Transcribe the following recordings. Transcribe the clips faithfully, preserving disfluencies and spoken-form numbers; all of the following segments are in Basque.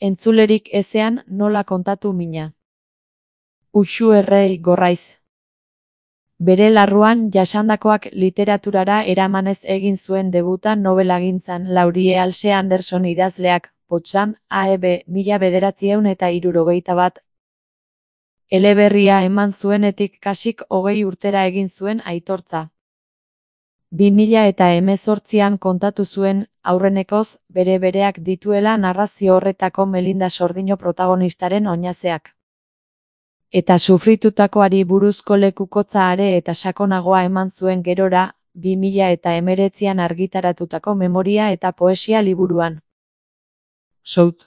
Entzulerik ezean nola kontatu mina. Uxu errei gorraiz. Bere larruan jasandakoak literaturara eramanez egin zuen debuta nobelagintzan Laurie Halse Anderson idazleak, Potsdam, A E B, mila bederatziehun eta hirurogeita bat. Eleberria eman zuenetik kasik hogei urtera egin zuen aitortza. Bi mila eta hemezortzian kontatu zuen, aurrenekoz, bere bereak dituela narrazio horretako Melinda Sordino protagonistaren oinazeak. Eta sufritutakoari buruzko lekukotza are eta sakonagoa eman zuen gerora, bi mila eta hemeretzian argitaratutako memoria eta poesia liburuan. South.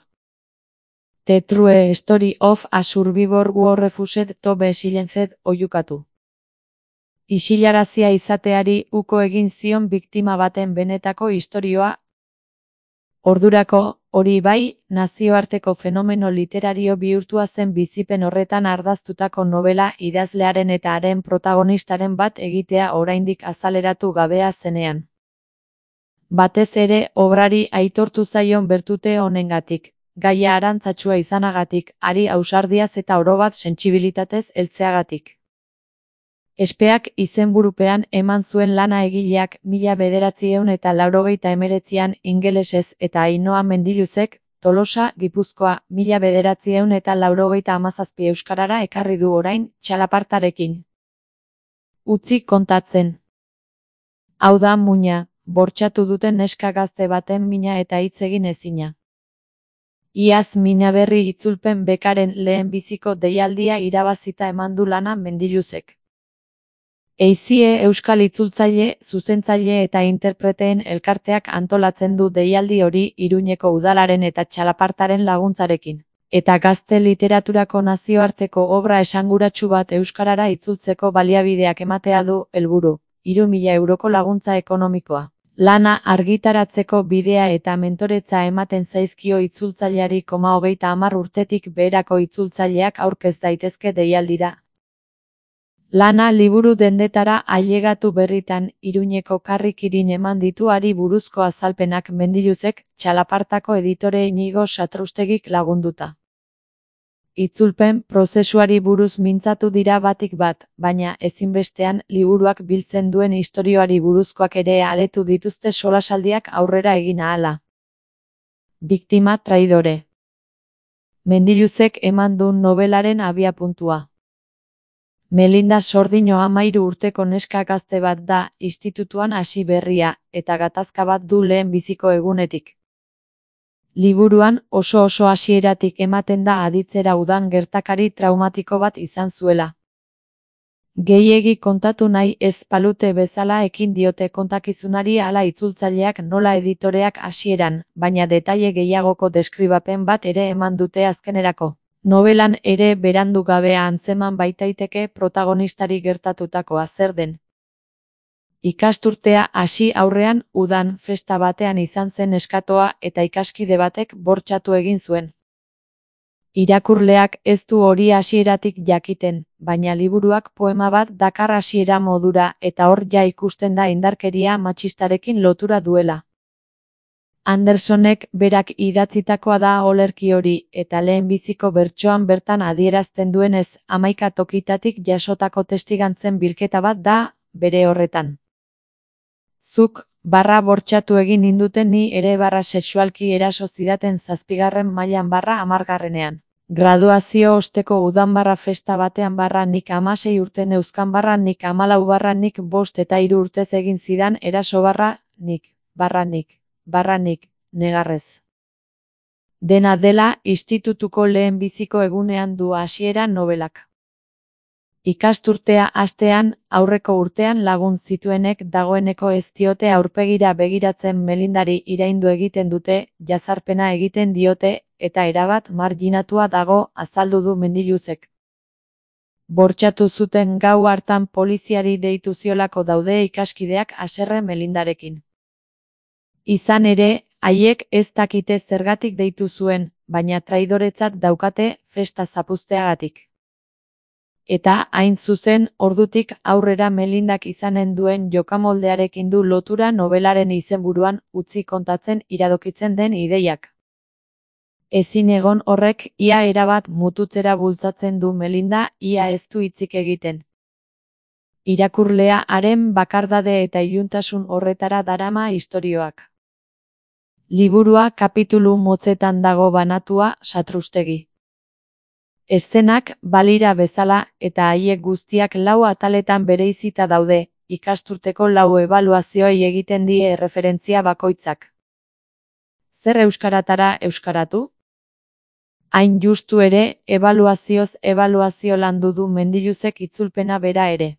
The True Story of a Survivor Who Refused to be Silenced oiukatu. Isilarazia izateari uko egin zion biktima baten benetako istorioa. Ordurako, hori bai, nazioarteko fenomeno literario bihurtua zen bizipen horretan ardaztutako novela idazlearen eta haren protagonistaren bat egitea oraindik azaleratu gabea zenean. Batez ere, obrari aitortu zaion bertute honengatik, gaia arantzatsua izanagatik, hari ausardiaz eta orobat sentsibilitatez heltzeagatik. Espeak izenburupean eman zuen lana egileak mila bederatziehun eta laurogeita hemeretzian ingelesez eta Ainhoa Mendiluzek, Tolosa, Gipuzkoa, mila bederatziehun eta laurogeita hamazazpi euskarara ekarri du orain, txalapartarekin. Utzi kontatzen. Hau da muina, bortxatu duten neska gazte baten mina eta hitz egin ezina. Iaz mina berri itzulpen bekaren lehen biziko deialdia irabazita eman du lana Mendiluzek. Eizie euskal itzultzaile, zuzentzaile eta interpreteen elkarteak antolatzen du deialdi hori Iruñeko udalaren eta txalapartaren laguntzarekin. Eta gazte literaturako nazioarteko obra esanguratsu bat euskarara itzultzeko baliabideak ematea du helburu, hiru mila euroko laguntza ekonomikoa. Lana argitaratzeko bidea eta mentoretza ematen zaizkio itzultzaileari koma hogeita hamar urtetik beherako itzultzaileak aurkez daitezke deialdira. Lana liburu dendetara ailegatu berritan Iruñeko karrikirin eman dituari buruzko azalpenak Mendiluzek, txalapartako editore Inigo Satrustegik lagunduta. Itzulpen prozesuari buruz mintzatu dira batik bat, baina ezinbestean liburuak biltzen duen istorioari buruzkoak ere aletu dituzte solasaldiak aurrera egin ahala. Biktima traidore. Mendiluzek eman du nobelaren abiapuntua. Melinda Sordino hamahiru urteko neska gazte bat da, institutuan hasi berria, eta gatazka bat du lehen biziko egunetik. Liburuan oso oso hasieratik ematen da aditzera udan gertakari traumatiko bat izan zuela. Gehiegi kontatu nahi ez palute bezala ekin diote kontakizunari hala itzultzaileak nola editoreak hasieran, baina detaile gehiagoko deskribapen bat ere eman dute azkenerako. Nobelan ere berandu gabea antzeman baitaiteke protagonistari gertatutakoa zer den. Ikasturtea hasi aurrean udan festa batean izan zen eskatoa eta ikaskide batek bortxatu egin zuen. Irakurleak ez du hori hasieratik jakiten, baina liburuak poema bat dakar hasiera modura eta hor ja ikusten da indarkeria matxistarekin lotura duela. Andersonek berak idatzitakoa da olerki hori, eta lehen biziko bertsoan bertan adierazten duenez, hamaika tokitatik jasotako testigantzen bilketa bat da, bere horretan. Zuk, barra bortxatu egin ninduten ni ere barra sexualki eraso zidaten zazpigarren mailan barra hamargarrenean. Graduazio osteko udan barra festa batean barra nik hamasei urte neuzkan barra nik hamalau barra nik bost eta hiru urtez egin zidan eraso barra nik, barra nik. Barranik, negarrez. Dena dela, institutuko lehen biziko egunean du hasiera nobelak. Ikasturtea hastean, aurreko urtean lagun zituenek dagoeneko ez diote aurpegira begiratzen Melindari iraindu egiten dute, jazarpena egiten diote, eta erabat marginatua dago, azaldu du Mendiluzek. Bortxatu zuten gau hartan poliziari deitu ziolako daude ikaskideak haserre Melindarekin. Izan ere, haiek ez dakite zergatik deitu zuen, baina traidoretzat daukate festa zapuzteagatik. Eta hain zuzen, ordutik aurrera Melindak izanen duen jokamoldearekin du lotura nobelaren izenburuan utzi kontatzen iradokitzen den ideiak. Ezin egon horrek ia erabat mututzera bultzatzen du Melinda, ia ez du hitzik egiten. Irakurlea haren bakardade eta iluntasun horretara darama istorioak. Liburua kapitulu motzetan dago banatua, satrustegi. Eszenak balira bezala eta haiek guztiak lau ataletan bereizita daude, ikasturteko lau ebaluazioei egiten die erreferentzia bakoitzak. Zer euskaratara euskaratu? Hain justu ere, ebaluazioz ebaluazio landu du Mendiluzek itzulpena bera ere.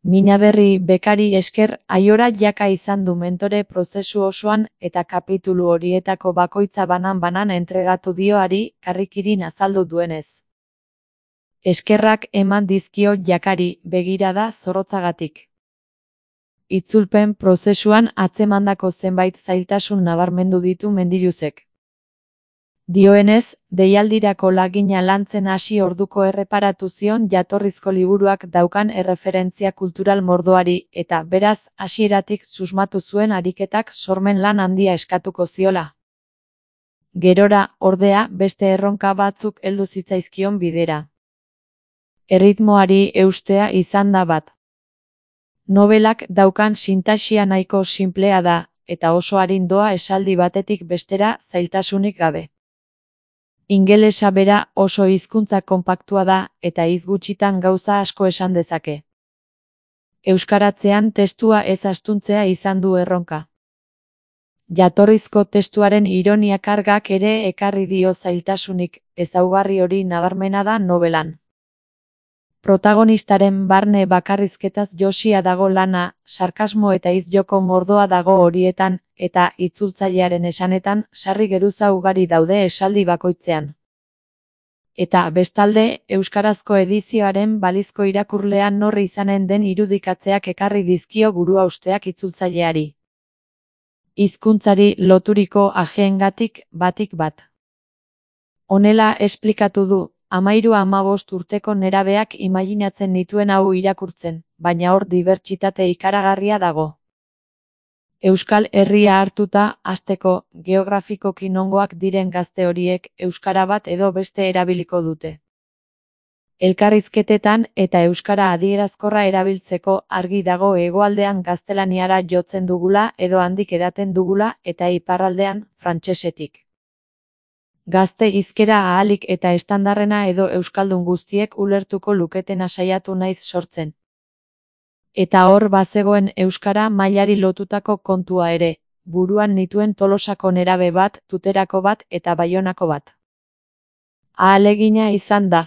Minaberri bekari esker Aiora jaka izan du mentore prozesu osoan eta kapitulu horietako bakoitza banan-banan entregatu dioari karrikirin azaldu duenez. Eskerrak eman dizkio jakari begirada zorrotzagatik. Itzulpen prozesuan atzemandako zenbait zailtasun nabarmendu ditu Mendiluzek. Dioenez, deialdirako lagina lantzen hasi orduko erreparatu zion jatorrizko liburuak daukan erreferentzia kultural mordoari eta beraz hasieratik susmatu zuen ariketak sormen lan handia eskatuko ziola. Gerora, ordea, beste erronka batzuk heldu zitzaizkion bidera. Erritmoari eustea izan da bat. Nobelak daukan sintaxia nahiko sinplea da, eta oso arindoa esaldi batetik bestera zailtasunik gabe. Ingelesa bera oso hizkuntza konpaktua da eta hitz gutxitan gauza asko esan dezake. Euskaratzean testua ez astuntzea izan du erronka. Jatorrizko testuaren ironia kargak ere ekarri dio zailtasunik, ezaugarri hori nabarmena da nobelan. Protagonistaren barne bakarrizketaz josia dago lana, sarkasmo eta hitz-joko mordoa dago horietan, eta itzultzailearen esanetan sarri geruza ugari daude esaldi bakoitzean. Eta bestalde, euskarazko edizioaren balizko irakurlea nor izanen den irudikatzeak ekarri dizkio buruhausteak itzultzaileari. Hizkuntzari loturiko ajeengatik batik bat. Honela esplikatu du. Amairu hamabost urteko nerabeak imaginatzen nituen hau irakurtzen, baina hor dibertsitate ikaragarria dago. Euskal Herria hartuta, hasteko, geografikoki nongoak diren gazte horiek euskara bat edo beste erabiliko dute. Elkarrizketetan eta euskara adierazkorra erabiltzeko argi dago hegoaldean gaztelaniara jotzen dugula edo handik edaten dugula eta iparraldean frantsesetik. Gazte hizkera ahalik eta estandarrena edo euskaldun guztiek ulertuko luketena saiatu naiz sortzen. Eta hor bazegoen euskara mailari lotutako kontua ere, buruan nituen Tolosako nerabe bat, Tuterako bat eta Baionako bat. Ahalegina izan da.